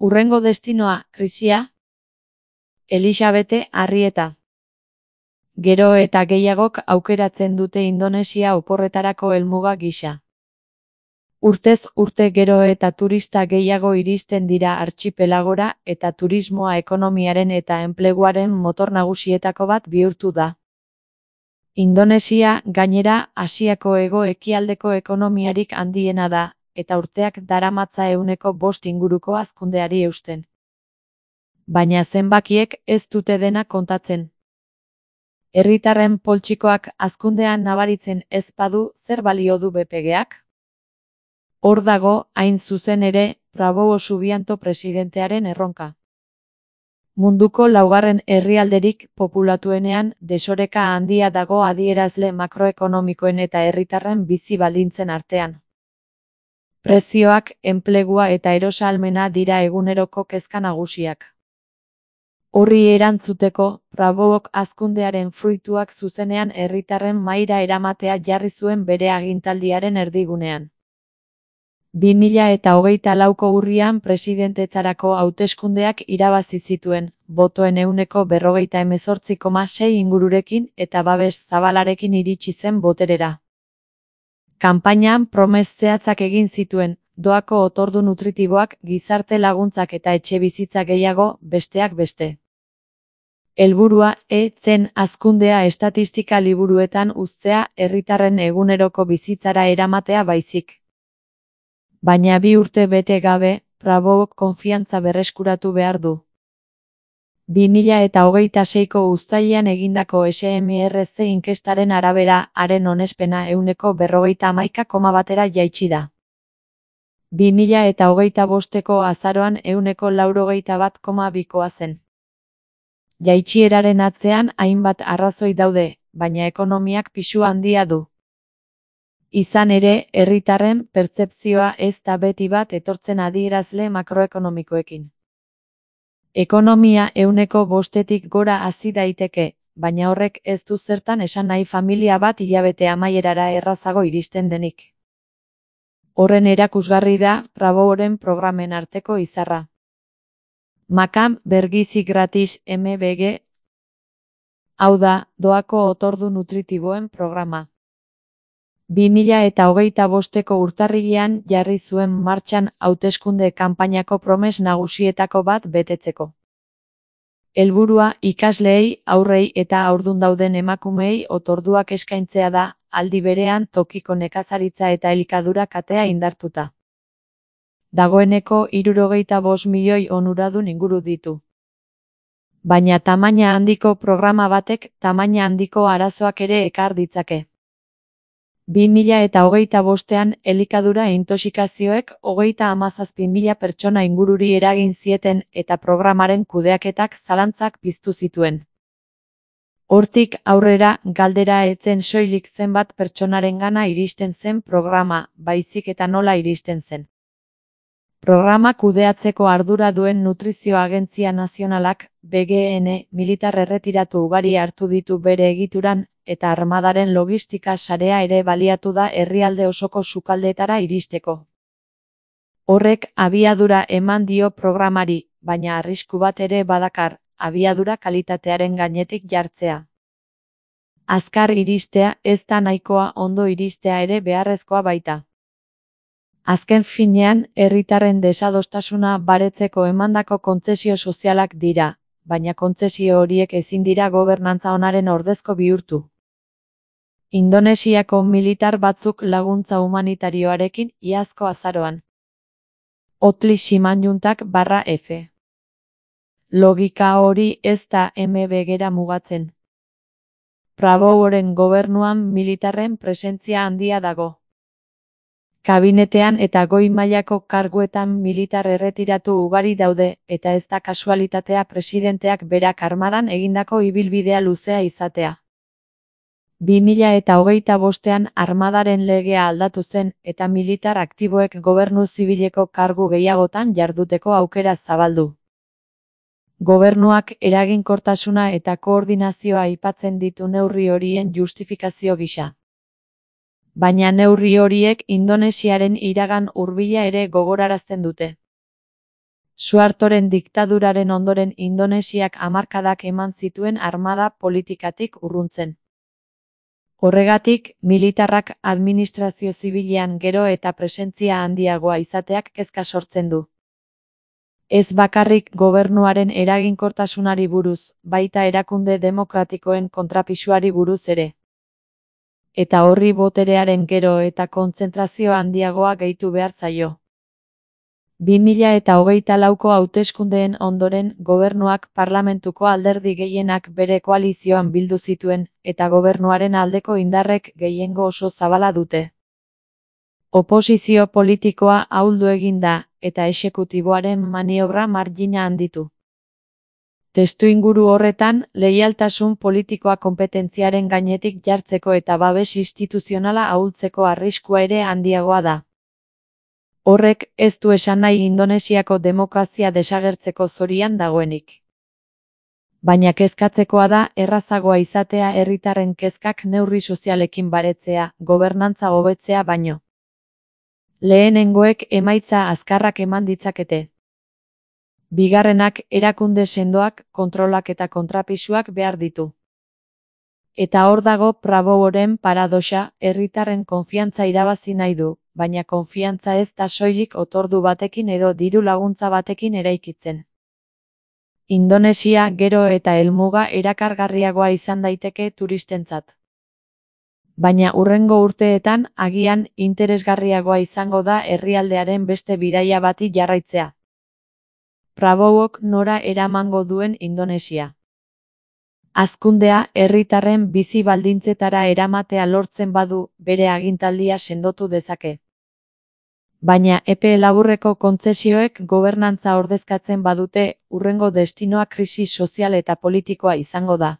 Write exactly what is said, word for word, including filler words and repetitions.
Hurrengo destinoa, krisia? Elisabete Arrieta. Gero eta gehiagok aukeratzen dute Indonesia oporretarako helmuga gisa. Urtez urte gero eta turista gehiago iristen dira artxipelagora eta turismoa ekonomiaren eta enpleguaren motor nagusietako bat bihurtu da. Indonesia, gainera, Asiako hego-ekialdeko ekonomiarik handiena da, eta urteak daramatza ehuneko bost inguruko hazkundeari eusten. Baina zenbakiek ez dute dena kontatzen. Herritarren poltsikoak hazkundean nabaritzen ez badu, zer balio du B P G-ak? Hor dago, hain zuzen ere, Prabowo Subianto presidentearen erronka. Munduko laugarren herrialderik populatuenean desoreka handia dago adierazle makroekonomikoen eta herritarren bizi baldintzen artean. Prezioak, enplegua eta erosahalmena dira eguneroko kezka nagusiak. Horri erantzuteko, Prabowok hazkundearen fruituak zuzenean herritarren mahaira eramatea jarri zuen bere agintaldiaren erdigunean. bi mila eta hogeita lauko urrian presidentetzarako hauteskundeak irabazi zituen, botoen ehuneko berrogeita hemezortzi koma sei ingururekin eta babes zabalarekin iritsi zen boterera. Kanpainan promes zehatzak egin zituen, doako otordu nutritiboak, gizarte laguntzak eta etxebizitza gehiago, besteak beste. Helburua e zen hazkundea estatistika liburuetan uztea herritarren eguneroko bizitzara eramatea baizik. Baina bi urte bete gabe, Prabowok konfiantza berreskuratu behar du. bi mila eta hogeita seiko uztailean egindako S M R C inkestaren arabera, haren onespena ehuneko berrogeita hamaika koma batera jaitsi da. bi mila eta hogeita bosteko azaroan ehuneko laurogeita bat koma bikoa zen. Jaitsieraren atzean hainbat arrazoi daude, baina ekonomiak pisu handia du. Izan ere, herritarren pertzepzioa ez da beti bat etortzen adierazle makroekonomikoekin. Ekonomia ehuneko bostetik gora hazi daiteke, baina horrek ez du zertan esan nahi familia bat hilabete amaierara errazago iristen denik. Horren erakusgarri da Praboworen programen arteko izarra. Makam bergizi gratis M B G. Hau da, doako otordu nutritiboen programa. bi mila eta hogeita bosteko urtarrilean jarri zuen martxan hauteskunde kanpainako promes nagusietako bat betetzeko. Helburua ikasleei, haurrei eta haurdun dauden emakumeei otorduak eskaintzea da, aldi berean tokiko nekazaritza eta elikadura katea indartuta. Dagoeneko hirurogeita bost milioi onuradun inguru ditu. Baina tamaina handiko programa batek tamaina handiko arazoak ere ekar ditzake. bi mila eta hogeita bostean elikadura intoxikazioek hogeita hamazazpi mila pertsona ingururi eragin zieten eta programaren kudeaketak zalantzak piztu zituen. Hortik aurrera galdera etzen soilik zenbat pertsonarengana iristen zen programa, baizik eta nola iristen zen. Programa kudeatzeko ardura duen Nutrizio Agentzia Nazionalak, B G N, militar erretiratu ugari hartu ditu bere egituran, eta armadaren logistika sarea ere baliatu da herrialde osoko sukaldeetara iristeko. Horrek abiadura eman dio programari, baina arrisku bat ere badakar, abiadura kalitatearen gainetik jartzea. Azkar iristea ez da nahikoa, ondo iristea ere beharrezkoa baita. Azken finean, herritarren desadostasuna baretzeko emandako kontzesio sozialak dira, baina kontzesio horiek ezin dira gobernantza onaren ordezko bihurtu. Indonesiako militar batzuk laguntza humanitarioarekin iazko azaroan. Otli Simanjuntak barra F. Logika hori ez da M B G-ra mugatzen. Praboworen gobernuan militarren presentzia handia dago. Kabinetean eta goi mailako karguetan militar erretiratu ugari daude, eta ez da kasualitatea presidenteak berak armadan egindako ibilbidea luzea izatea. bi mila eta hogeita bostean armadaren legea aldatu zen eta militar aktiboek gobernu zibileko kargu gehiagotan jarduteko aukera zabaldu. Gobernuak eraginkortasuna eta koordinazioa aipatzen ditu neurri horien justifikazio gisa. Baina neurri horiek Indonesiaren iragan hurbila ere gogorarazten dute. Suhartoren diktaduraren ondoren Indonesiak hamarkadak eman zituen armada politikatik urruntzen. Horregatik, militarrak administrazio zibilean gero eta presentzia handiagoa izateak kezka sortzen du. Ez bakarrik gobernuaren eraginkortasunari buruz, baita erakunde demokratikoen kontrapisuari buruz ere. Eta horri boterearen gero eta kontzentrazio handiagoa gehitu behar zaio. bi mila hogeita lauko hauteskundeen ondoren gobernuak parlamentuko alderdi gehienak bere koalizioan bildu zituen, eta gobernuaren aldeko indarrek gehiengo oso zabala dute. Oposizio politikoa ahuldu egin da, eta exekutiboaren maniobra margina handitu. Testuinguru horretan, leialtasun politikoa konpetentziaren gainetik jartzeko eta babes instituzionala ahultzeko arriskua ere handiagoa da. Horrek ez du esan nahi Indonesiako demokrazia desagertzeko zorian dagoenik. Baina kezkatzekoa da errazagoa izatea herritarren kezkak neurri sozialekin baretzea, gobernantza hobetzea baino. Lehenengoek emaitza azkarrak eman ditzakete. Bigarrenak erakunde sendoak, kontrolak eta kontrapisuak behar ditu. Eta hor dago Praboworen paradoxa, herritarren konfiantza irabazi nahi du, baina konfiantza ez da soilik otordu batekin edo diru laguntza batekin eraikitzen. Indonesia gero eta helmuga erakargarriagoa izan daiteke turistentzat. Baina hurrengo urteetan agian interesgarriagoa izango da herrialdearen beste bidaia bati jarraitzea. Prabowok nora eramango duen Indonesia. Hazkundea herritarren bizi baldintzetara eramatea lortzen badu, bere agintaldia sendotu dezake. Baina epe laburreko kontzesioek gobernantza ordezkatzen badute, hurrengo destinoa krisi sozial eta politikoa izango da.